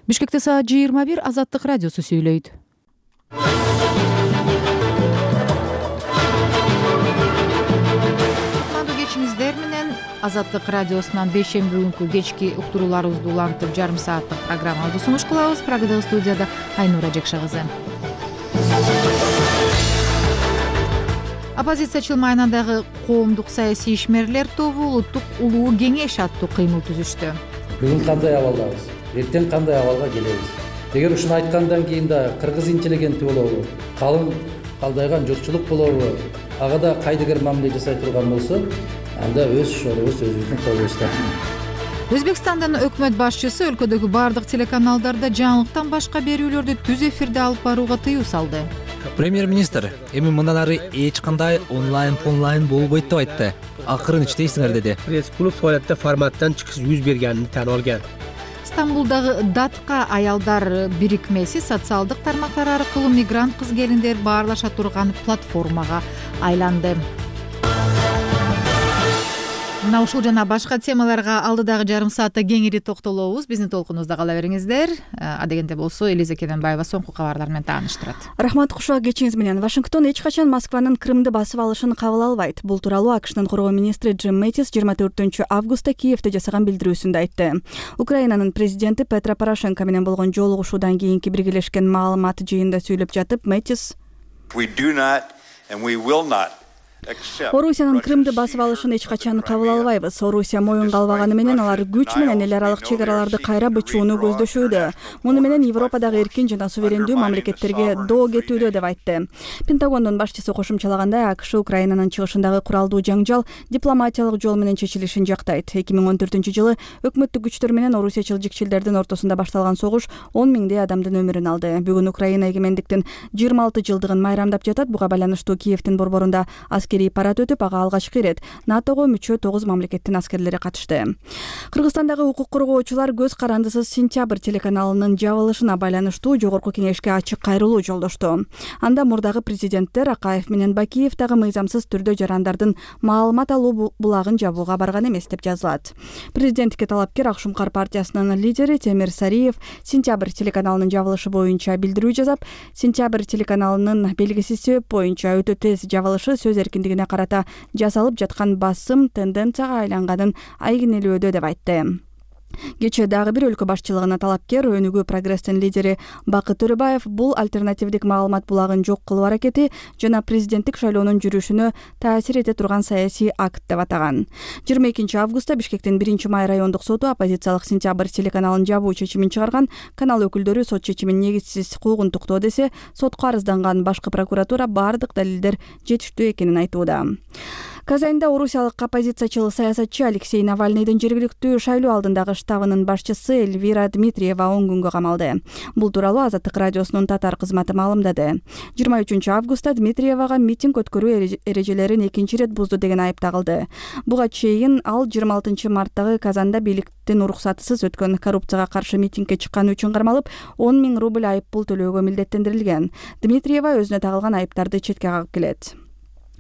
Бишкекте саат 21 Азаттык радиосу сүйлөйт. Кутмандуу кечиңиздер менен Азаттык радиосунан бейшемби күнкү кечки уктурууларыбызды улантып жарым сааттык программабызды сунуш кылабыз. Программадагы студияда Айнура Жекша кызы. Оппозициячыл майнадагы коомдук саясий ишмерлер тобу улуттук улуу кеңеш аттуу кыймыл түзүштү. Бүгүн кандай абалдабыз, эртең кандай абалга келебиз? Эгер ушуну айткандан кийин да кыргыз интеллигенти болобу, калың калдайган журтчулук болобу, ага да кайдыгер мамиле жасай турган болсо, анда өз шорубуз өзүбүздүн колубузда. Өзбекстандын өкмөт башчысы өлкөдөгү бардык телеканалдарда жаңылыктан башка берүүлөрдү түз эфирде алып барууга тыюу салды. Премьер-министр эми мындан ары эч кандай онлайн болбойт деп айтты. Акырын иштейсиңер деди. Пресс-клуб фаалиятта форматтан чыгыш жүз бергенин tan olgan. Стамбулдагы Датка аялдар бирикмеси социалдык тармактар аркылуу мигрант кыз-келиндер баарлаша турган платформага айланды. Мына ушул жана башка темаларга алдыдагы жарым саатта кеңири токтолобуз. Биздин толкунубузда кала бериңиздер. Адегенде болсо Элиза Кененбаева соңку кабарлар менен тааныштырат. Рахмат, кушуак кечиңиз менен. Вашингтон эч качан Москванын Крымды басып алышын кабыл албайт. Бул тууралуу АКШнын коргоо министри Джим Мэттис 24-августта Киевде жасаган билдирүүсүндө айтты. Украинанын президенти Петро Порошенко менен болгон жолугушуудан кийинки биргелешкен маалымат жыйында сүйлөп жатып, Мэттис Орусиянын Крымды басып алышын эч качан кабыл албайбыз. Орусия моюнга албаганы менен алар күч менен эл аралык чек араларды кайра бычууну көздөшүүдө. Муну менен Европадагы эркин жана суверендүү мамлекеттерге доо кетүүдө деп айтты. Пентагондун башчысы кошумчалагандай, АКШ Украинанын чыгышындагы куралдуу жаңжал дипломатиялык жол менен чечилишин жактайт. 2014-жылы өкмөттүк күчтөр менен орусиячыл жикчилдердин ортосунда башталган согуш 10 миңдей адамдын өмүрүн алды. Бүгүн Украина эгемендиктин 26 жылдыгын майрамдап жатат. Буга байланыштуу Киевдин борборунда парад өтүп, ага алгачкы ирет НАТОго мүчө 9 мамлекеттин аскерлери катышты. Кыргызстандагы укук коргоочулар көз карандысыз Сентябрь телеканалынын жабылышына байланыштуу жогорку кеңешке ачык кайрылуу жолдошту. Анда мурдагы президенттер Акаев менен Бакиев дагы мыйзамсыз түрдө жарандардын маалымат алуу булагын жабууга барган эмес деп жазылат. Президенттикке талапкер Ак Шумкар партиясынын лидери Темир Сариев Сентябрь телеканалынын жабылышы боюнча билдирүү жасап, Сентябрь телеканалынын белгисиз себеп боюнча өтө тез жабылышы сөз эркиндигине карата жасалып жаткан басым тенденцияга айланганын айгинелөөдө деп айтты. Кечээ дагы бир өлкө башчылыгына талапкер Өнүгүү прогресстин лидери Бакыт Төрөбаев бул альтернативдик маалымат булагын жок кылуу аракети жана президенттик шайлоонун жүрүшүнө таасир эте турган саясий акт деп атаган. 22-августта Бишкектин 1-май райондук соту оппозициялык Сентябрь телеканалын жабуу чечимин чыгарган. Канал өкүлдөрү сот чечимин негизсиз куугунтуктоо десе, сотко арызданган башкы прокуратура бардык далилдер жетиштүү экенин айтууда. Казанда орусиялык оппозициячыл саясатчы Алексей Навальныйдын жергиликтүү шайлоо алдындагы штабынын башчысы Эльвира Дмитриева 10 күнгө камалды. Бул тууралуу Азаттык радиосунун татар кызматы маалымдады. 23-августта Дмитриевага митинг өткөрүү эрежелерин экинчи ирет бузду деген айып тагылды. Буга чейин ал 26-марттагы Казанда бийликтин уруксатысыз өткөн коррупцияга каршы митингге чыкканы үчүн кармалып 10 000 рубль айып пул төлөөгө милдеттендирилген. Дмитриева өзүнө тагылган айыптарды четке кагып келет.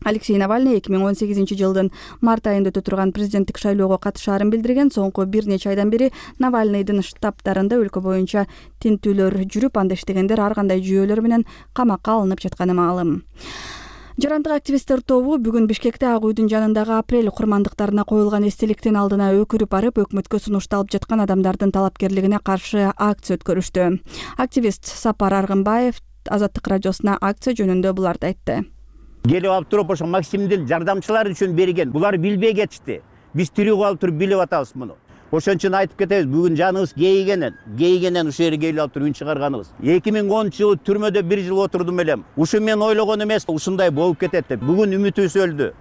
Алексей Навальный 2018-жылдын март айында өтө турган президенттик шайлоого катышаарын билдирген. Соңку бир нече айдан бери Навальныйдын штабтарында өлкө боюнча тинтүүлөр жүрүп, анда иштегендер ар кандай жүйөлөр менен камакка алынып жатканы маалым. Жарандык активисттер тобу бүгүн Бишкекте Ак үйдүн жанындагы апрель курмандыктарына коюлган эстеликтин алдына өкүрүп барып, өкмөткө сунушталып жаткан адамдардын талапкерлигине каршы акция өткөрүштү. Активист Сапар Аргынбаев Азаттык радиосуна акция жөнүндө буларды айтты. Келип алып туруп ошо Максимдин жардамчылары үчүн берген. Булар билбей кетишти. Биз тирүү калып туруп билип атабыз муну. Ошон үчүн айтып кетебиз, бүгүн жаныбыз кейигенен ушул жерге келип алып туруп үн чыгарганыбыз. 2010-жылы түрмөдө 1 жыл отурдум элем. Ушу мен ойлогон эмес, ушундай болуп кетет деп. Бүгүн үмүтүбүз өлдү.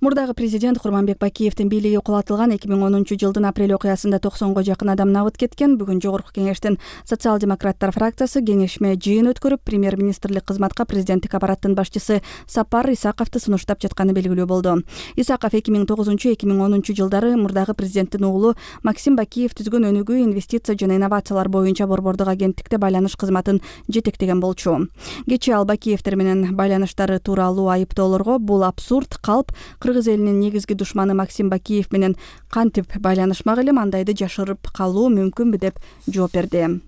Мурдагы президент Курманбек Бакиевдин бийлиги кулатылган 2010-жылдын апрель окуясында 90га жакын адам набыт кеткен. Бүгүн жогорку кеңештин социал-демократтар фракциясы кеңешме жыйын өткөрүп, премьер-министрлик кызматка президенттик аппараттын башчысы Сапар Исаковду сунуштап жатканы белгилүү болду. Исаков 2009-2010 жылдары мурдагы президенттин уулу Максим Бакиев түзгөн Өнүгүү инвестиция жана инновациялар боюнча борбордук агенттикте байланыш кызматын жетектеген болчу. Кечээ ал Бакиевдер менен байланыштары тууралуу айыптоолорго бул абсурд, калп, кыргыз элинин негизги душманы Максим Бакиев менен кантип байланышмак элем, андайды жашырып калуу мүмкүнбү деп жооп берди.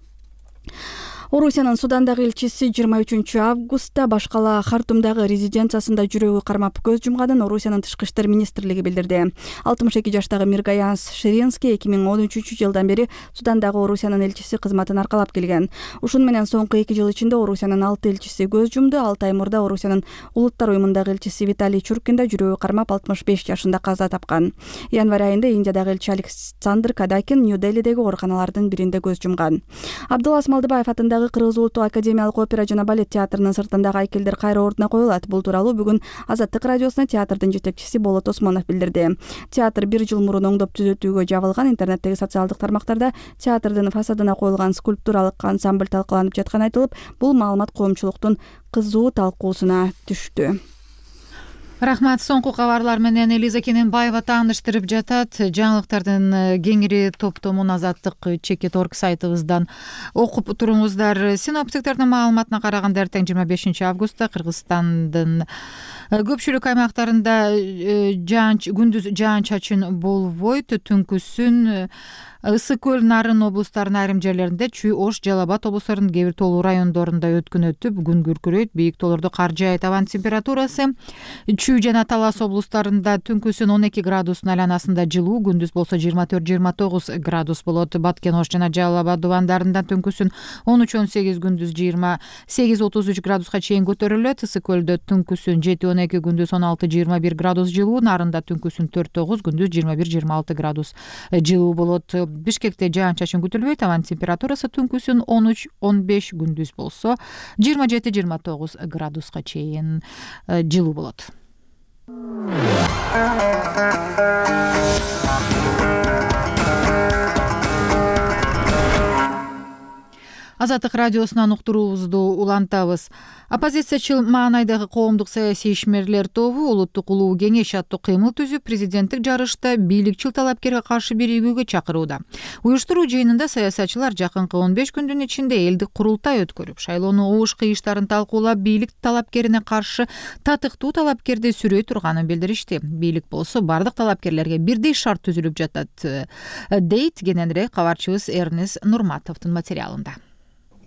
Орусиянын Судандагы элчиси 23 августта башкала Хартумдагы резиденциясында жүрөгү кармап көз жумганын Орусиянын тышкы иштер министрлиги билдирди. 62 жаштагы Миргаянс Ширинский 2013 жылдан бери Судандагы Орусиянын элчиси кызматын аркалап келген. Ушуну менен соңку 2 жыл ичинде Орусиянын 6 элчиси көз жумду. 6 ай мурда Орусиянын Улуттар уюмундагы элчиси Виталий Чуркин да жүрөгү кармап 65 жашында каза тапкан. Январь айында Индиядагы элчи Александр Кадакин Нью-Делидеги ооруканалардын биринде көз жумган. Абдуллас Малдыбаев атындагы Кыргыз улуттук академиялык опера жана балет театрынын сыртындагы айкелдер кайра ордуна коюлат. Бул тууралуу бүгүн Азаттык радиосуна театрдын жетекчиси Болот Осмонов билдирди. Театр 1 жыл мурун оңдоп түзөтүүгө жабылган. Интернеттеги социалдык тармактарда театрдын фасадына коюлган скульптуралык ансамбль талкууланып жатканы айтылып, бул маалымат коомчулуктун кызуу талкуусуна түштү. Рахмат. Соңку кабарлар менен Элиза Кененбаева тааныштырып жатат. Жаңылыктардын кеңири топтомун Азаттык Чекит орг сайтыбыздан окуп туруңуздар. Синоптиктердин маалыматына караганда эртең 25 августта Кыргызстандын көпчүлүк аймактарында күндүз жаан-чачын болбойт. Түнкүсүн Ысык көл, Нарын облустарынын айрым жерлеринде, Чүй, Ош, Жалал Абад облустарынын кээ бир тоолуу райондорунда өткүн өтүп, күн күркүрөйт. Бийик тоолордо кар жаайт. Абанын температурасы Чүй жана Талас облустарында түнкүсүн 12 градустун айланасында жылуу, күндүз болсо 24-29 градус болот. Баткен, Ош жана Жалал Абад дубандарында түнкүсүн 13-18, күндүз 28-33 градуска чейин көтөрүлөт. Ысык көлдө түнкүсүн 7-12, күндүз 16-21 градус жылуу, Нарында түнкүсүн 4-9, күндүз 21-26 градус жылуу болот. Бишкекте жаан-чачын күтүлбөйт. Абанын температурасы түнкүсүн 13-15, күндүз болсо 27-29 градуска чейин жылуу болот. Азаттык радиосунан уктуруубузду улантабыз. Оппозициячыл маанайдагы коомдук саясий ишмерлер тобу Улуттук улуу кеңеш аттуу кыймыл түзүп, президенттик жарышта бийликчил талапкерге каршы биригүүгө чакырууда. Уюштуруу жыйынында саясатчылар жакынкы 15 күндүн ичинде элдик курултай өткөрүп, шайлоонун обуш кыйыштарын талкуулап, бийлик талапкерине каршы татыктуу талапкерди сүрөй турганын билдиришти. Бийлик болсо бардык талапкерлерге бирдей шарт түзүлүп жатат, дейт кененирээк кабарчыбыз Эрнес Нурматовдун материалында.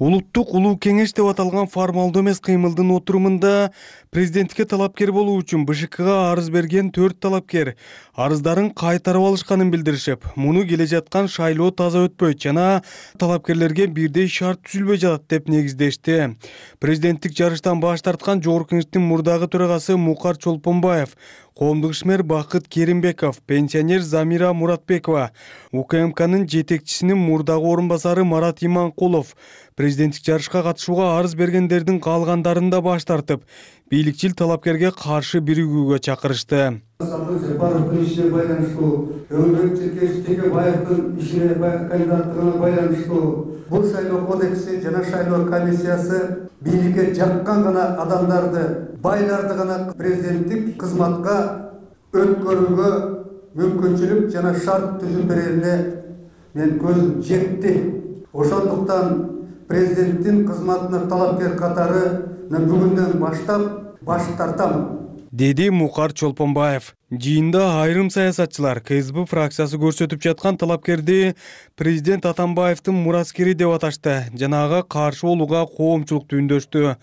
Улуттук улуу кеңеш деп аталган формалдуу эмес кыймылдын отурумунда президенттикке талапкер болуу үчүн БШКга арыз берген 4 талапкер арыздарын кайтарып алышканын билдиришип, муну келе жаткан шайлоо таза өтпөйт жана талапкерлерге бирдей шарт түзүлбөй жатат деп негиздешти. Президенттик жарыштан баш тарткан Жогорку Кеңештин мурдагы төрагасы Мукар Чолпонбаев, коомдук ишмер Бакыт Керимбеков, пенсионер Замира Муратбекова, УКМКнын жетекчисинин мурдагы орун басары Марат Иманкулов президенттик жарышка катышууга арыз бергендердин калгандарын да баш тартып, бийликчил талапкерге каршы биригүүгө чакырышты. Бардык ишине байланыштуу, Өңүрөк Байевдин ишине кандидаттыгына байланыштуу бул шайлоо кодекси жана шайлоо комиссиясы бийликке жаккан гана адамдарды, байларды гана президенттик кызматка өткөрүүгө мүмкүнчүлүк жана шарт түзүп берерине мен көзүм жетти. Ошондуктан президенттин кызматына талапкер катары бүгүндөн баштап баш тартам, деди Мукар Чолпонбаев. Жыйында айрым саясатчылар КСБ фракциясы көрсөтүп жаткан талапкерди президент Атамбаевдин мураскери деп аташты жана ага каршы болууга коомчулукту үндөштү.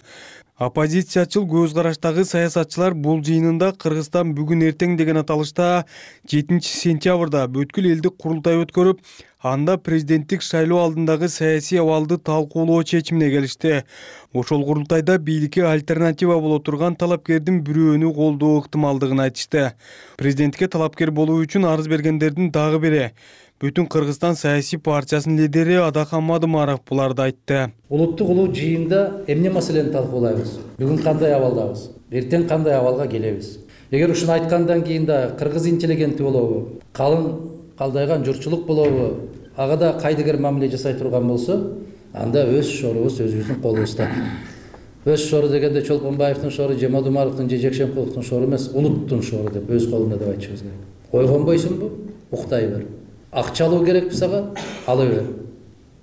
Оппозициячыл көз караштагы саясатчылар бул жыйынында Кыргызстан бүгүн эртең деген аталышта 7 сентябрда бүткүл элдик курултай өткөрүп, анда президенттик шайлоо алдындагы саясий абалды талкуулоо чечимине келишти. Ошол курултайда бийликке альтернатива боло турган талапкердин бирөөнү колдоо ыктымалдыгын айтышты. Президентке талапкер болуу үчүн арыз бергендердин дагы бири Бүтүн Кыргызстан саясий партиясынын лидери Адахан Мадымаров буларды айтты. Улуттук улуу жыйында эмне маселени талкуулайбыз? Бүгүн кандай абалдабыз? Эртең кандай абалга келебиз? Эгер ушуну айткандан кийин да кыргыз интеллигенти болобу, калдайган журтчулук болобу, ага да кайдыгер мамиле жасай турган болсо, анда өз шорубуз өзүбүздүн колубузда. Өз шору дегенде Чолпонбаевдин шору, же Мадымаровдун, же Жекшенкуловдун шору эмес, улуттун шору деп өз колунда деп айтышыбыз керек. Койгонбойсуңбу? Уктай бер. Акча алуу керекпи сага? Ала бер.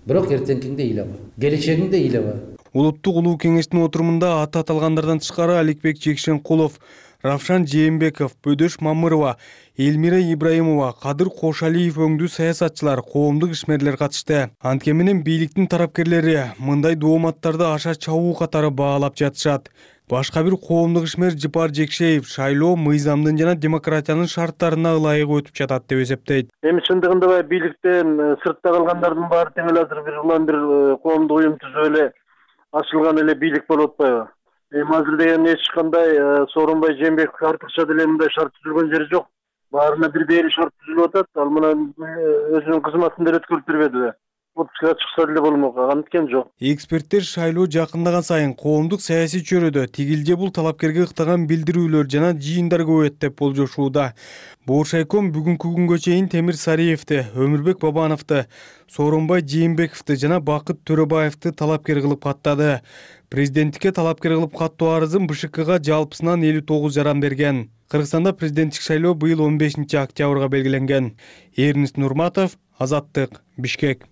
Бирок эртеңкиңде ыйлаба. Келечегиңде ыйлаба. Улуттук улуу кеңештин отурумунда аты аталгандардан тышкары Аликбек Жекшенкулов, Равшан Жээнбеков, Бөдөш Мамырова, Элмира Ибраимова, Кадыр Кошалиев өңдүү саясатчылар, коомдук ишмерлер катышты. Антке менен бийликтин тарапкерлери мындай дооматтарды аша чабуу катары баалап жатышат. Башка бир коомдук ишмер Жипар Жекшеев шайлоо мыйзамдын жана демократиянын шарттарына ылайык өтүп жатат деп эсептейт. Эми чындыгында бийликтен сыртта калгандардын баары тең эле азыр бир коомдук уюм түзүп эле ачылган эле бийлик болуп атпайбы? Эми азыр деген эч кандай Сооронбай Жээнбеков артыкча деле мындай шарт түзүлгөн жери жок. Баарына бир дээрлик шарт түзүлүп атат. Ал мына өзүнүн кызматын деле өткөрүп бербеди. Отпускка чыкса деле болмок, анткен жок. Эксперттер шайлоо жакындаган сайын коомдук саясий чөйрөдө тигилже бул талапкерге ыктаган билдирүүлөр жана жыйындар көбөйөт деп болжошууда. Бооршайком бүгүнкү күнгө чейин Темир Сариевди, Өмүрбек Бабановду, Сооронбай Жээнбековду жана Бакыт Төрөбаевди талапкер кылып каттады. Президенттикке талапкер кылып каттоо арызын БШКга жалпысынан 59 жаран берген. Кыргызстанда президенттик шайлоо быйыл 15 октябрга белгиленген. Эрнест Нурматов, Азаттык, Бишкек.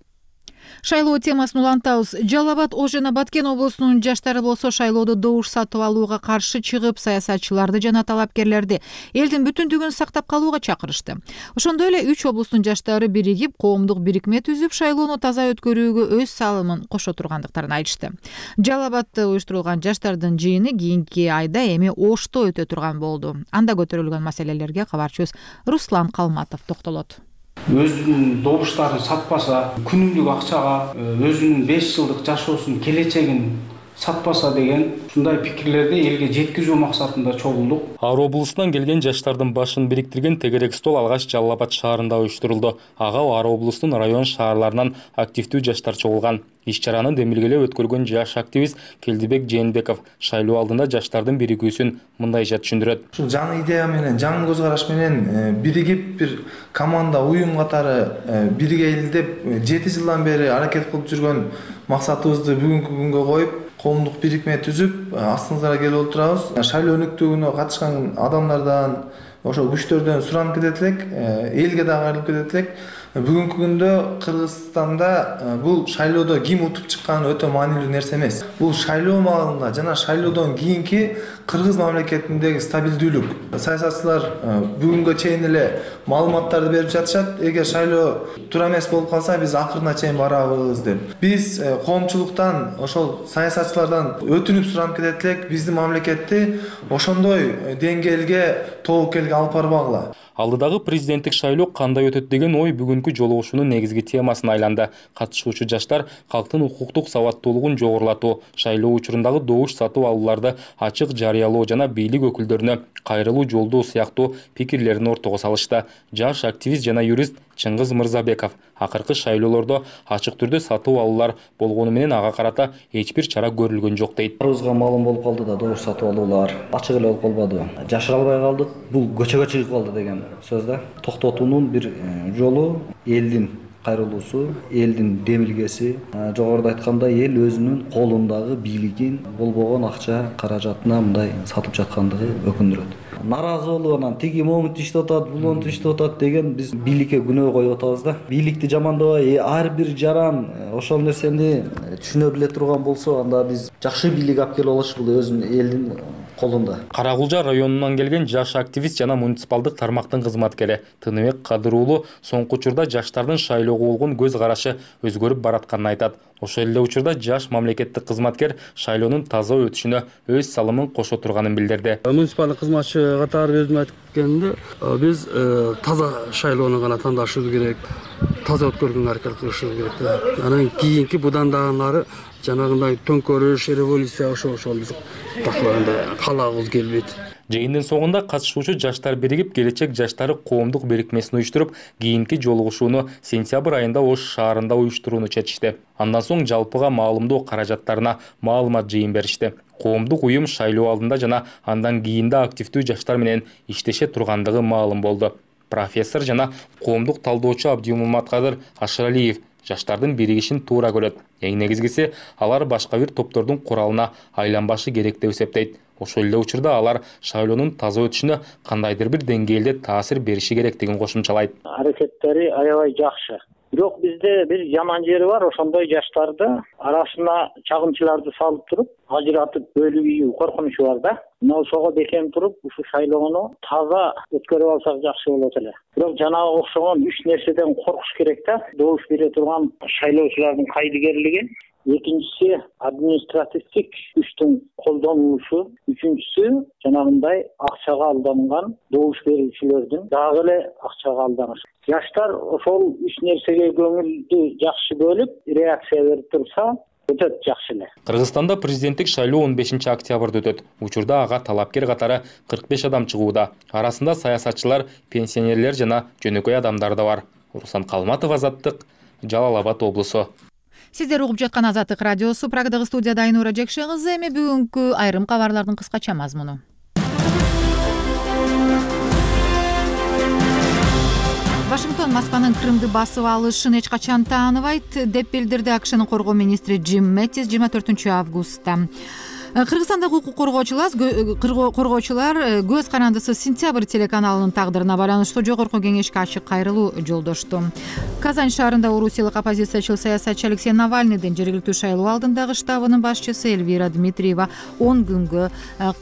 Шайлоо темасын улантабыз. Жалал Абад, Ош жана Баткен облусунун жаштары болсо шайлоодо добуш сатып алууга каршы чыгып, саясатчыларды жана талапкерлерди элдин бүтүндүгүн сактап калууга чакырышты. Ошондой эле 3 облустун жаштары биригип, коомдук бирикме түзүп, шайлоону таза өткөрүүгө өз салымын кошо тургандыктарын айтышты. Жалал Абадда уюштурулган жаштардын жыйыны кийинки айда эми Ошто өтө турган болду. Анда көтөрүлгөн маселелерге кабарчыбыз Руслан Калматов токтолот. Өзүнүн добуштарын сатпаса, күнүмдүк акчага өзүнүн 5 жылдык жашоосунун келечегин сатпаса деген ушундай пикирлерди элге жеткизүү максатында чогулдук. Ар облусунан келген жаштардын башын бириктирген тегерек стол алгач Жалал Абад шаарында уюштурулду. Ага ар облустун район шаарларынан активдүү жаштар чогулган. Иш-чараны демилгелеп өткөргөн жаш активист Келдибек Жээнбеков шайлоо алдында жаштардын биригүүсүн мындайча түшүндүрөт. Ушул жаңы идея менен, жаңы көз караш менен биригип бир команда, уюм катары бирге деп 7 жылдан бери аракет кылып жүргөн максатыбызды бүгүнкү күнгө коюп, коомдук бирикме түзүп, астыңыздарга келип отурабыз. Шайлоо өнүктүүгүнө катышкан адамдардан, ошо күчтөрдөн суранып кетет элек, элге да кайрылып кетет элек. Бүгүнкү күндө Кыргызстанда бул шайлоодо ким утуп чыкканы өтө маанилүү нерсе эмес. Бул шайлоо маалында жана шайлоодон кийинки Кыргыз мамлекетиндеги стабилдүүлүк. Саясатчылар бүгүнгө чейин эле маалыматтарды берип жатышат. Эгер шайлоо туура эмес болуп калса, биз акырына чейин барабыз деп. Биз коомчулуктан, ошол саясатчылардан өтүнүп суранып кетет элек, биздин мамлекетти ошондой деңгээлге, тобокелге алып барбагыла. Алдыдагы президенттик шайлоо кандай өтөт деген ой бүгүнкү жолугушуунун негизги темасына айланды. Катышуучу жаштар калктын укуктук сабаттуулугун жогорулатуу, шайлоо учурундагы добуш сатып алууларды ачык жарыялоо жана бийлик өкүлдөрүнө кайрылуу жолдоо сыяктуу пикирлерин ортого салышты. Жаш активист жана юрист Чыңгыз Мырзабеков акыркы шайлоолордо ачык түрдө сатып алуулар болгону менен ага карата эч бир чара көрүлгөн жок дейт. Баарыбызга маалым болуп калды да, добуш сатып алуулар ачык эле болуп калбадыбы? Жашыра албай калдык. Бул көчөгө чыгып калды деген сөз да. Токтотуунун бир жолу элдин кайрылуусу, элдин демилгеси. Жогоруда айткандай, эл өзүнүн колундагы бийлигин болбогон акча каражатына мындай сатып жаткандыгы өкүндүрөт. Наразы болуп анан тиги момунту иштеп атат, булонту иштеп атат деген биз бийликке күнөө коюп атабыз да. Бийликти жамандабай, ар бир жаран ошол нерсени түшүнө биле турган болсо, анда биз жакшы бийлик алып келип алыш, бул өзүнүн элдин колунда. Каракулжа районунан келген жаш активист жана муниципалдык тармактын кызматкери Тыныбек Кадыр уулу соңку учурда жаштардын шайлоого болгон көз карашы өзгөрүп баратканын айтат. Ошол эле учурда жаш мамлекеттик кызматкер шайлоонун таза өтүшүнө өз салымын кошо турганын билдирди. Муниципалдык кызматчы катары өзүм айткенде, биз таза шайлоону гана тандашыбыз керек, таза өткөрүүгө аракет кылышыбыз керек. Анан кийинки будан дагы нары жанагындай төңкөрүш, революция ошол биз таклагандай каалагыбыз келбейт. Жыйындын соңунда катышуучу жаштар биригип, келечек жаштары коомдук бирикмесин уюштуруп, кийинки жолугушууну сентябрь айында Ош шаарында уюштурууну чечишти. Андан соң жалпыга маалымдоо каражаттарына маалымат жыйын беришти. Коомдук уюм шайлоо алдында жана андан кийинде активдүү жаштар менен иштеше тургандыгы маалым болду. Профессор жана коомдук талдоочу Абдимуматкадыр Ашыралиев жаштардын биригишин туура көрөт. Эң негизгиси, алар башка бир топтордун куралына айланбашы керек деп эсептейт. Ошол эле учурда алар шайлоонун таза өтүшүнө кандайдыр бир деңгээлде таасир бериши керектигин кошумчалайт. Аракеттери аябай жакшы. Бирок бизде бир жаман жери бар, ошондой жаштарды арасына чагымчыларды салып туруп, ажыратып бөлүп ийүү коркунучу бар да. Мына ошого бекем туруп, ушу шайлоону таза өткөрүп алсак жакшы болот эле. Бирок жанагы окшогон 3 нерседен коркуш керек да. Добуш бере турган шайлоочулардын кайдыгерлиги, экинчиси административдик күчтүн колдонулушу, үчүнчүсү жанагындай акчага алданган добуш берүүчүлөрдүн дагы эле акчага алданышы. Жаштар ошол 3 нерсеге көңүлдү жакшы бөлүп, реакция берип турса, өтөт жакшы эле. Кыргызстанда президенттик шайлоо 15 октябрда өтөт. Учурда ага талапкер катары 45 адам чыгууда. Арасында саясатчылар, пенсионерлер жана жөнөкөй адамдар да бар. Руслан Калматов, Азаттык, Жалал Абад облусу. Сиздер угуп жаткан Азаттык радиосу. Прагдагы студияда Айнура Жекше кызы. Эми бүгүнкү айрым кабарлардын кыскача мазмуну. Вашингтон Москванын Крымды басып алышын эч качан тааныбайт деп билдирди АКШнын коргоо министри Джим Мэттис 24 августта. Кыргызстандагы укук коргоочулар көз карандысы Сентябрь телеканалынын тагдырына байланыштуу жогорку кеңешке ачык кайрылуу жолдошту. Казань шаарында орусиялык оппозициячыл саясатчы Алексей Навальныйдын жергиликтүү шайлоо алдындагы штабынын башчысы Эльвира Дмитриева 10 күнгө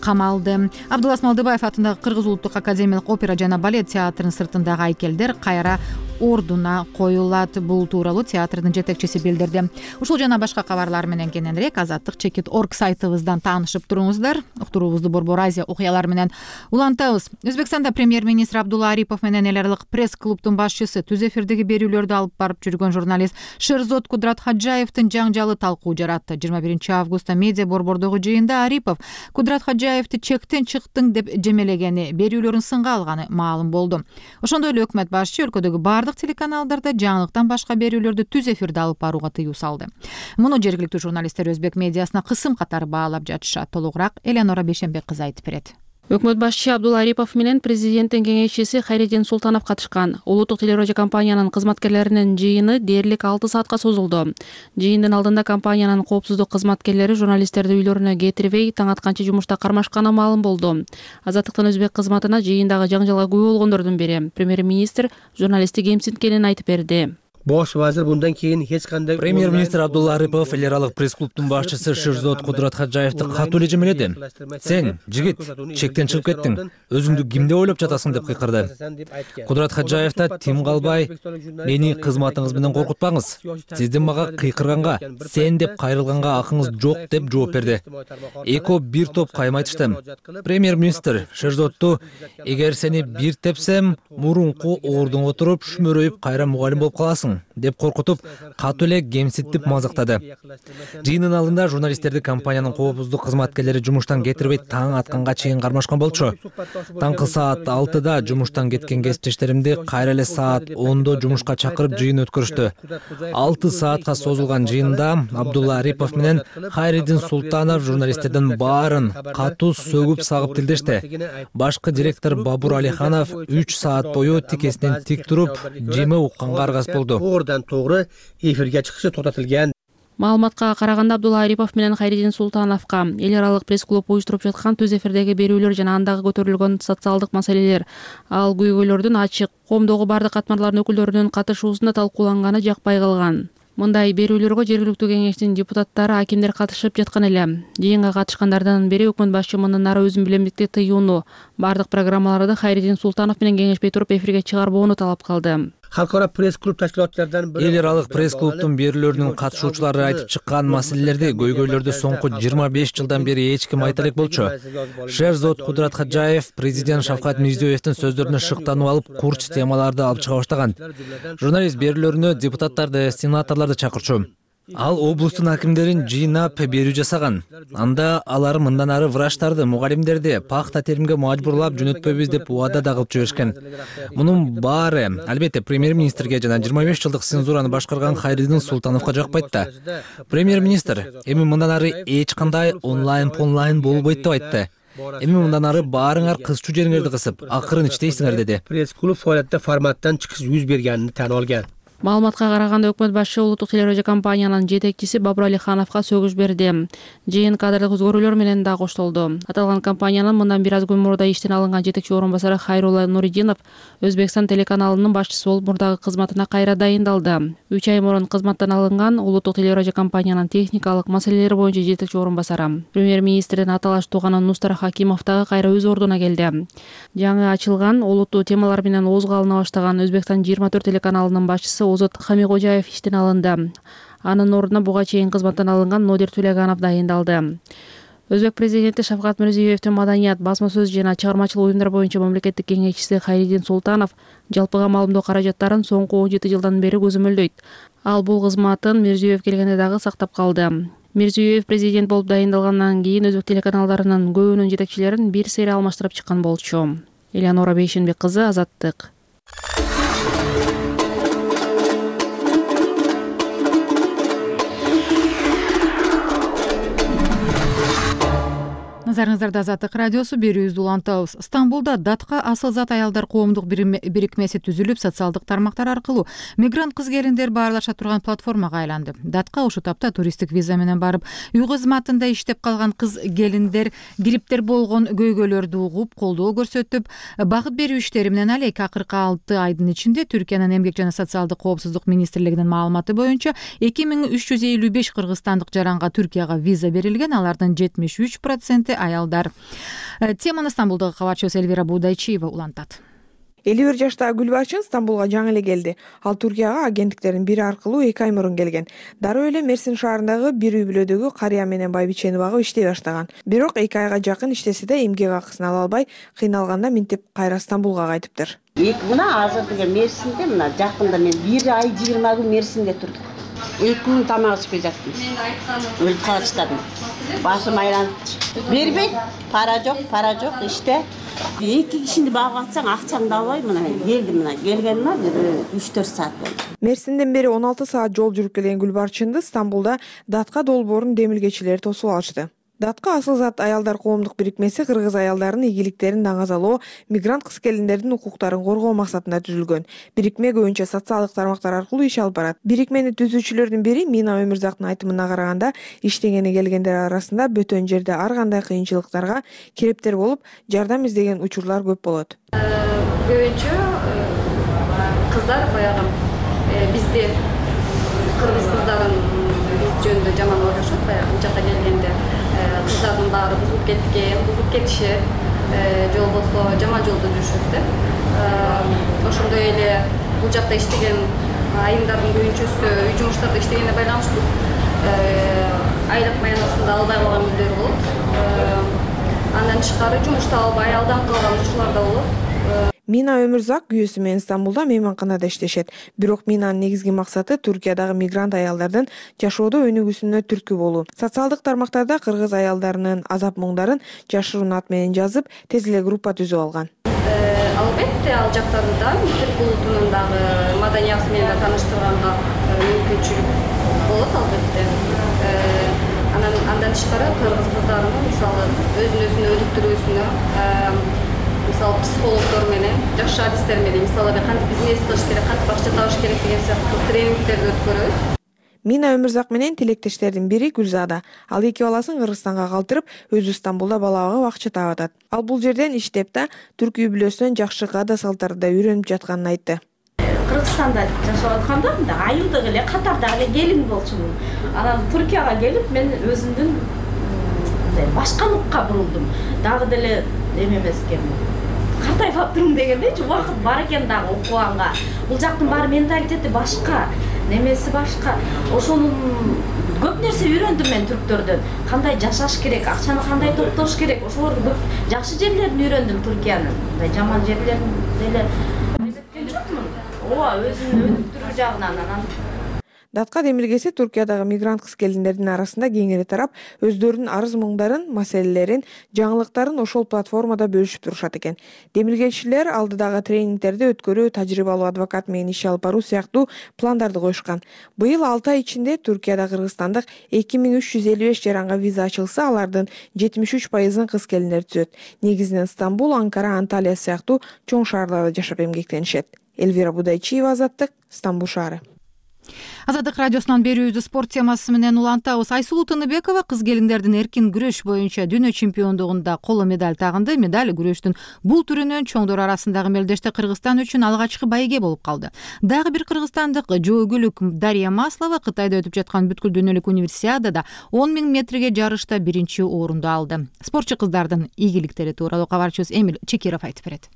камалды. Абдулас Малдыбаев атындагы Кыргыз улуттук академиялык опера жана балет театрынын сыртындагы айкелдер кайра ордуна коюлат. Бул тууралуу театрдын жетекчиси билдирди. Ушул жана башка кабарлар менен кененирээк Азаттык.org сайтыбыздан таанышып туруңуздар. Уктуруубузду Борбор Азия окуялары менен улантабыз. Өзбекстанда премьер-министр Абдулла Арипов менен эл аралык пресс-клубдун башчысы, түз эфирдеги берүүлөрдү алып барып жүргөн журналист Шерзод Кудрат Хаджаевдин жаңжалы талкуу жаратты. 21 августта медиа борбордогу жыйында Арипов Кудрат Хаджаевди чектен чыктың деп жемелегени, берүүлөрүн сынга алганы маалым болду. Ошондой эле өкмөт башчы өлкөдөгү бардык телеканалдарда жаңылыктан башка берүүлөрдү түз эфирде алып барууга тыюу салды. Муну жергиликтүү журналисттер өзбек медиасына кысым катары баалап жатышат. Толугураак Элеонора Бейшенбек кызы айтып берет. Өкмөт башчы Абдулла Арипов менен президенттин кеңешчиси Хайреддин Султанов катышкан. Улуттук телерадио компаниянын кызматкерлеринин жыйыны дээрлик 6 саатка созулду. Жыйындын алдында компаниянын коопсуздук кызматкерлери журналисттерди үйлөрүнө кетирбей, таң атканча жумушта кармашканы маалым болду. Азаттыктын өзбек кызматына жыйындагы жаңжалга күбө болгондордун бири премьер-министр журналистти кемсинткенин айтып берди. Бош вазир мындан кийин эч кандай Премьер-министр Абдулла Арипов эл аралык пресс-клубдун башчысы Шерзод Кудрат Хаджаевди катуу эле жемеледи. Сен, жигит, чектен чыгып кеттиң. Өзүңдү ким деп ойлоп жатасың деп кыйкырды. Кудрат Хаджаев да тим калбай, мени кызматыңыз менен коркутпаңыз. Сиздин мага кыйкырганга, сен деп кайрылганга акыңыз жок деп жооп берди. Эко бир топ кайма айтышты. Премьер-министр Шерзодду эгер сени бир тепсем, мурунку ордуңа туруп шүмөрөйүп кайра мугалим болуп каласың деп коркутуп, катуу эле кемсинтип мазактады. Жыйындын алдында журналисттерди компаниянын коопсуздук кызматкерлери жумуштан кетирбей таң атканга чейин кармашкан болчу. Таңкы саат 6-да жумуштан кеткен кесиптештеримди кайра эле саат 10-до жумушка чакырып жыйын өткөрүштү. 6 саатка созулган жыйында Абдулла Арипов менен Хайреддин Султанов журналисттердин баарын катуу сөгүп сагып тилдешти. Башкы директор Бабур Алиханов 3 саат бою тикесинен тик туруп, жеме укканга аргас болду. Ордан тоогру эфирге чыгышы токтотулган. Маалыматка караганда Абдулла Арипов менен Хайреддин Султановго эл аралык пресс-клуб уюштуруп жаткан түз эфирдеги берүүлөр жана андагы көтөрүлгөн социалдык маселелер, ал көйгөйлөрдүн ачык, коомдогу бардык катмарлардын өкүлдөрүнүн катышуусунда талкууланганы жакпай калган. Мындай берүүлөргө жергиликтүү кеңештин депутаттары, акимдер катышып жаткан эле. Жыйынга катышкандардын бири өкмөт башчы мындан ары өзүн билемдикти тыюуну, бардык программаларды Хайреддин Султанов менен кеңешпей туруп эфирге чыгарбоону талап кылды. Халкара пресс-клуб ташкилатчылардан бири эл аралык пресс-клубдун берүүлөрүнүн катышуучулары айтып чыккан маселелерди, көйгөйлөрдү соңку 25 жылдан бери эч ким айта элек болчу. Шерзод Кудрат Хаджаев президент Шавкат Мирзиёевдин сөздөрүнө шыктанып алып, курч темаларды алып чыга баштаган. Журналист берүүлөрүнө депутаттарды, сенаторлорду чакырчу. Ал облустун акимдерин жыйнап берүү жасаган. Анда алар мындан ары врачтарды, мугалимдерди пахта теримге мажбурлап жөнөтпөйбүз деп убада да кылып жиберишкен. Мунун баары албетте премьер-министрге жана 25 жылдык цензураны башкарган Хайреддин Султановго жакпайт да. Премьер-министр эми мындан ары эч кандай онлайн болбойт деп айтты. Эми мындан ары баарыңар кызчу жериңерди кысып, акырын иштейсиңер деди. Пресс-клуб фаалиятта форматтан чыгыш жүз бергенин tan olgan. Маалыматка караганда өкмөт башчы улуттук телерадиокомпаниянын жетекчиси Бабур Алихановго сөгүш берди. Жыйын кадрлык өзгөрүүлөр менен да коштолду. Аталган компаниянын мындан бир аз күн мурда иштен алынган жетекчи орун басары Хайрулла Нуридинов Өзбекстан телеканалынын башчысы болуп мурдагы кызматына кайра дайындалды. 3 ай мурун кызматтан алынган улуттук телерадиокомпаниянын техникалык маселелер боюнча жетекчи орун басары премьер-министрдин аталаш тууганы Нустар Хакимов дагы кайра өз ордуна келди. Жаңы ачылган улуттуу темалар менен оозго алына баштаган Өзбекстан 24 телеканалынын башчысы Озот Хамикожаев иштен алынды. Анын ордуна буга чейин кызматтан алынган Нодир Тулеганов дайындалды. Өзбек президенти Шавкат Мирзиёевдин маданият, басма сөз жана чыгармачылык уюмдар боюнча мамлекеттик кеңешчиси Хайридин Султанов жалпыга маалымдоо каражаттарын соңку 17 жылдан бери көзөмөлдөйт. Ал бул кызматын Мирзиёев келгенде дагы сактап калды. Мирзиёев президент болуп дайындалгандан кийин өзбек телеканалдарынын көбүнүн жетекчилерин бир сери алмаштырып чыккан болчу. Элеонора Бейшенбек кызы, Азаттык. Назарыңыздарда Азаттык радиосу, берүүбүздү улантабыз. Стамбулда Датка асыл зат аялдар коомдук бирикмеси түзүлүп, социалдык тармактар аркылуу мигрант кыз-келиндер баарлаша турган платформага айланды. Датка ушул тапта туристтик виза менен барып, үй кызматында иштеп калган кыз-келиндер гриптер болгон көйгөйлөрдү угуп, колдоо көрсөтүп, багыт берүү иштери менен алек. Акыркы 6 айдын ичинде Түркиянын эмгек жана социалдык коопсуздук министрлигинин маалыматы боюнча 2355 кыргызстандык жаранга Түркияга виза берилген, алардын 73% аялдар. Теманы Стамбулдагы кабарчыбыз Элвира Будайчиева улантат. 51 жаштагы Гүлбарчын Стамбулга жаңы эле келди. Ал Түркияга агенттиктердин бири аркылуу 2 ай мурун келген. Дароо эле Мерсин шаарындагы бир үй бүлөдөгү карыя менен байбичени багып иштей баштаган. Бирок 2 айга жакын иштесе да эмгек акысын ала албай, кыйналганда минтип кайра Стамбулга кайтыптыр. Мына азыр деген Мерсинде, мына жакында мен 1 ай 20 күн Мерсинде турдум. 2 күн тамак ичпей жаттым. Өлүп калачтадым. Башым айланып бербейт, пара жок, иште. 2 кишини багып атсаң акчаңды албай, мына келдим, келгениме 3-4 саат болду. Мерсинден бери 16 саат жол жүрүп келген Гүлбарчынды Стамбулда Датка долбоорунун демилгечилери тосуп алышты. Датка асыл зат аялдар коомдук бирикмеси кыргыз аялдарынын ийгиликтерин даңазалоо, мигрант кыз-келиндердин укуктарын коргоо максатында түзүлгөн. Бирикме көбүнчө социалдык тармактар аркылуу иш алып барат. Бирикмени түзүүчүлөрдүн бири Мина Өмүрзактын айтымына караганда, иштегени келгендер арасында бөтөн жерде ар кандай кыйынчылыктарга кептер болуп, жардам издеген учурлар көп болот. Көбүнчө кыздар баягы бизде кыргыз кыздарын биз жөнүндө жаман ойлошот, баягы бул жакка келгенде кыздардын баары бузулуп кетишет, же болбосо жаман жолдо жүрүшөт да. Ошондой эле бул жакта иштеген айымдардын көбүнчөсү үй жумуштарда иштегенге байланыштуу айлык маянасында албай калган күндөр болот. Андан тышкары жумушта албай алданып калган учурлар да болот. Мина Өмүрзак күйөөсү менен Стамбулда мейманканада иштешет. Бирок Минанын негизги максаты Түркиядагы мигрант аялдардын жашоодо өнүгүүсүнө түрткү болуу. Социалдык тармактарда кыргыз аялдарынын азап-муңдарын жашыруун ат менен жазып, тез эле группа түзүп алган. Албетте, ал жактарды да Түрк улутунун дагы маданияты менен тааныштырганга мүмкүнчүлүк болот албетте. Андан тышкары кыргыз кыздарынын мисалы өзүн өнүктүрүүсүнө мисалы психологдор менен жакшы адистер менен мисалы кантип бизнес кылыш керек, кантип акча табыш керек деген сыяктуу тренингтерди өткөрөбүз. Мина Өмүрзак менен тилектештердин бири Гүлзада. Ал 2 баласын Кыргызстанга калтырып, өзү Стамбулда бала багып акча таап атат. Ал бул жерден иштеп да түрк үй бүлөсүнөн жакшы каада салттарды да үйрөнүп жатканын айтты. Кыргызстанда жашап атканда мындай айылдык эле катардагы эле келин болчумун. Анан Түркияга келип мен өзүмдүн башкалыкка бурулдум. Дагы деле эме эмес экен. Картайып аптырмын дегендейчи, убакыт бар экен дагы окуганга. Бул жактын баары менталитети башка, немеси башка. Ошонун көп нерсе үйрөндүм мен түрктөрдөн. Кандай жашаш керек, акчаны кандай топтош керек, ошолорду көп жакшы жерлерин үйрөндүм Түркиянын. Мындай жаман жерлерин деле эзептеген жокмун. Ооба, өзүн өнүктүрүү жагынан анан Датка демилгеси Түркиядагы мигрант кыз-келиндердин арасында кеңири тарап, өздөрүнүн арыз-муңдарын, маселелерин, жаңылыктарын ошол платформада бөлүшүп турушат экен. Демилгечилер алдыдагы тренингтерди өткөрүү, тажрыйбалуу адвокат менен иш алып баруу сыяктуу пландарды коюшкан. Быйыл 6 ай ичинде Түркияда кыргызстандык 2355 жаранга виза ачылса, алардын 73%-ын кыз-келиндер түзөт. Негизинен Стамбул, Анкара, Анталия сыяктуу чоң шаарларда жашап эмгектенишет. Элвира Будайчиева, Азаттык, Стамбул шаары. Азаттык радиосунан берүүбүздү спорт темасы менен улантабыз. Айсулуу Тыныбекова кыз келиндердин эркин күрөш боюнча дүйнө чемпиондугунда коло медаль тагынды. Медаль күрөштүн бул түрүнөн чоңдор арасындагы мелдеште Кыргызстан үчүн алгачкы байге болуп калды. Дагы бир кыргызстандык жоогүлүк Дарья Маслова Кытайда өтүп жаткан бүткүл дүйнөлүк универсиадада 10 000 метрге жарышта биринчи орунду алды. Спортчу кыздардын ийгиликтери тууралуу кабарчыбыз Эмил Чекиров айтып берет.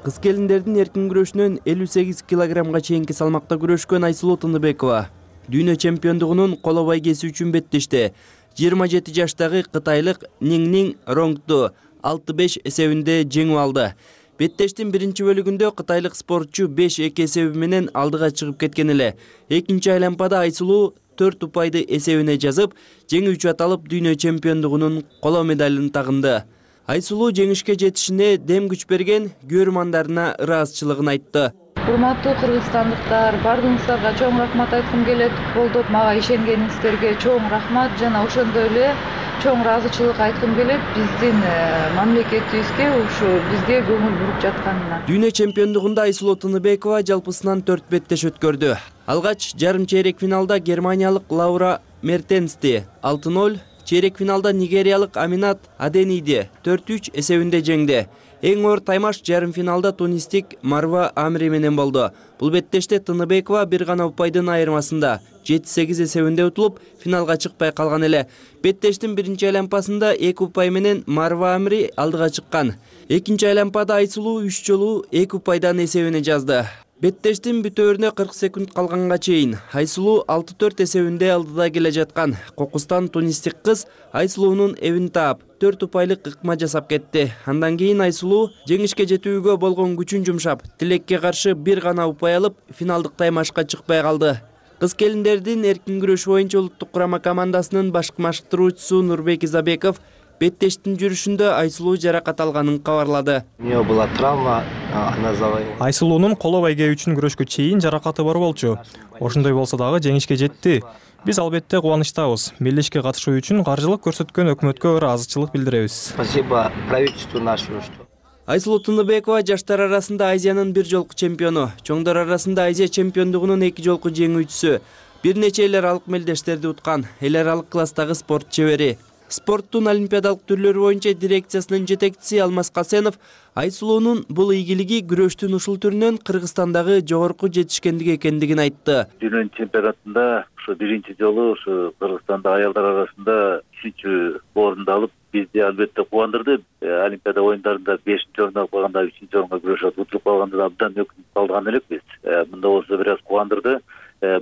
Кыз келиндердин эркин күрөшүнөн 58 килограммга чейинки салмакта күрөшкөн Айсулуу Тыныбекова дүйнө чемпиондугунун коло байгеси үчүн беттешти. 27 жаштагы кытайлык Ниңнин Ронгду 6-5 эсебинде жеңип алды. Беттештин биринчи бөлүгүндө кытайлык спортчу 5-2 эсеби менен алдыга чыгып кеткен эле. Экинчи айланпада Айсулуу 4 упайды эсебине жазып, жеңүүчү аталып дүйнө чемпиондугунун коло медалын тагынды. Айсулуу жеңишке жетишине дем күч берген көрөрмандарына ыраазычылыгын айтты. Урматтуу кыргызстандыктар, бардыгыңыздарга чоң рахмат айткым келет. Колдоп мага ишенгениңиздерге чоң рахмат жана ошондой эле чоң ыраазычылык айткым келет биздин мамлекетибизге, ушу бизге көңүл буруп жатканына. Дүйнө чемпиондугунда Айсулуу Тыныбекова жалпысынан 4 беттеш өткөрдү. Алгач жарым чейрек финалда германиялык Лаура Мертенсти 6-0, чейрек финалда нигериялык Аминат Адениди 4-3 эсебинде жеңди. Эң оор таймаш жарым финалда тунистик Марва Амри менен болду. Бул беттеште Тыныбекова бир гана упайдын айырмасында 7-8 эсебинде утулуп, финалга чыкпай калган эле. Беттештин биринчи айланпасында 2 упай менен Марва Амри алдыга чыккан. Экинчи айланпада Айсулуу 3 жолу 2 упайдан эсебине жазды. Беттештин бүтөөрүнө 40 секунд калганга чейин Айсулуу 6-4 эсебинде алдыда келе жаткан кокустан тунистик кыз Айсулуунун эбин таап 4 упайлык ыкма жасап кетти. Андан кийин Айсулуу жеңишке жетүүгө болгон күчүн жумшап, тилекке каршы бир гана упай алып, финалдык таймашка чыкпай калды. Кыз келиндердин эркин күрөш боюнча улуттук курама командасынын баш машыктыруучусу Нурбек Изабеков беттештин жүрүшүндө Айсулуу жаракат алганын кабарлады. У неё была травма, она завоевала. Айсулуунун коло байге үчүн күрөшкө чейин жаракаты бар болчу. Ошондой болсо дагы жеңишке жетти. Биз албетте кубанычтабыз. Мелдешке катышуу үчүн каржылык көрсөткөн өкмөткө ыраазычылык билдиребиз. Спасибо правительству нашему. Айсулуу Тыныбекова жаштар арасында Азиянын бир жолку чемпиону, чоңдор арасында Азия чемпиондугунун 2 жолку жеңүүчүсү, бир нече эл аралык мелдештерди уткан, эл аралык класстагы спорт чебери. Спорттун олимпиадалык түрлөрү боюнча дирекциясынын жетекчиси Алмаз Касенов Айсулуунун бул ийгилиги күрөштүн ушул түрүнөн Кыргызстандагы жогорку жетишкендик экендигин айтты. Дүйнө чемпионатында ушу биринчи жолу ушу Кыргызстанда аялдар арасында 3-чү орунду алып, бизди албетте кубандырды. Олимпиада оюндарында 5-чи орун алып калганда 3-чү орунга күрөшүп утуруп калганда абдан өкүнүп калган элекпиз. Мында болсо бир аз кубандырды.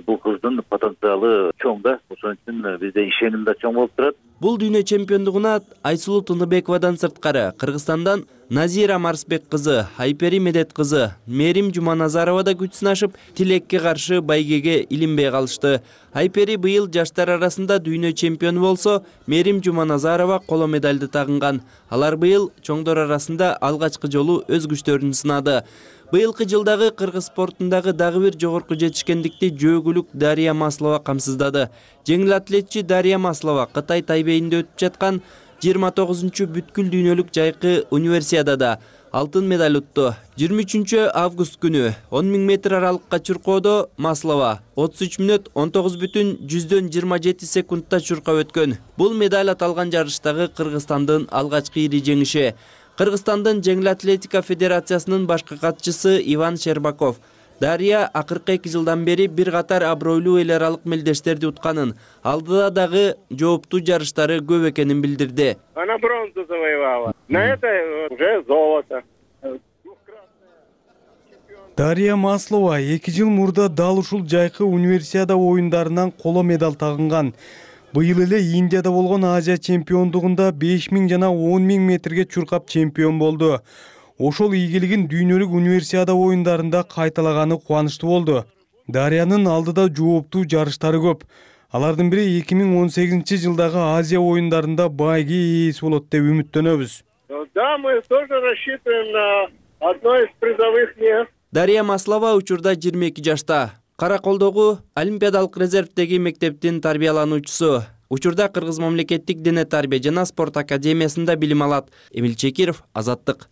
Бул кыздын потенциалы чоң да, ошон үчүн бизде ишеним да чоң болуп турат. Бул дүйнө чемпиондугуна Айсулуу Тыныбековадан сырткары Кыргызстандан Назира Марсбек кызы, Айпери Медет кызы, Мерим Жуманазарова да күч сынашып, тилекке каршы байгеге илинбей калышты. Айпери быйыл жаштар арасында дүйнө чемпиону болсо, Мерим Жуманазарова коло медальды тагынган. Алар быйыл чоңдор арасында алгачкы жолу өз күчтөрүн сынады. Быйылкы жылдагы кыргыз спортундагы дагы бир жогорку жетишкендикти жоогүлүк Дарья Маслова камсыздады. Жеңил атлетчи Дарья Маслова Кытай Тайбейинде өтүп жаткан 29-чу бүткүл дүйнөлүк жайкы универсиадада алтын медаль утту. 23 август күнү 10 000 метр аралыкка чуркоодо Маслова 33 мүнөт 19,27 секундта чуркап өткөн. Бул медаль аталган жарыштагы Кыргызстандын алгачкы ири жеңиши. Кыргызстандын жеңил атлетика федерациясынын башкы катчысы Иван Щербаков Дарья акыркы 2 жылдан бери бир катар абройлуу эл аралык мелдештерди утканын, алдыда дагы жооптуу жарыштары көп экенин билдирди. Она бронзу завоевала. На это уже золото. Дарья Маслова 2 жыл мурда дал ушул жайкы универсиада оюндарынан коло медаль тагынган. Быйыл эле Индияда болгон Азия чемпиондугунда 5000 жана 10000 метрге чуркап чемпион болду. Ошол ийгилигин дүйнөлүк универсиада оюндарында кайталаганы кубанычтуу болду. Дарьянын алдыда жооптуу жарыштары көп. Алардын бири 2018 жылдагы Азия оюндарында байге ээси болот деп үмүттөнөбүз. Да, мы тоже рассчитываем на одно из призовых мест. Дарья Маслова учурда 22 жашта. Караколдогу Олимпиадалык резервдеги мектептин тарбиялануучусу. Учурда Кыргыз мамлекеттик дене тарбия жана спорт академиясында билим алат. Эмил Чекиров, Азаттык.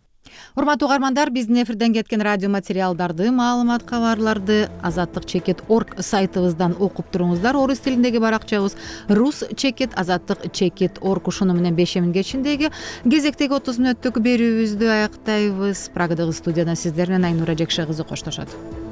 урматтуу угармандар, биздин эфирден кеткен радио материалдарды, маалымат кабарларды azattik.org сайтыбыздан окуп туруңуздар. Орус тилиндеги баракчабыз rus.azattik.org. Ушуну менен 5 кечиндеги кезектеги 30 мүнөттүк берүүбүздү аяктайбыз. Прагадагы студияда сиздер менен Айнура Жекше кызы коштошот.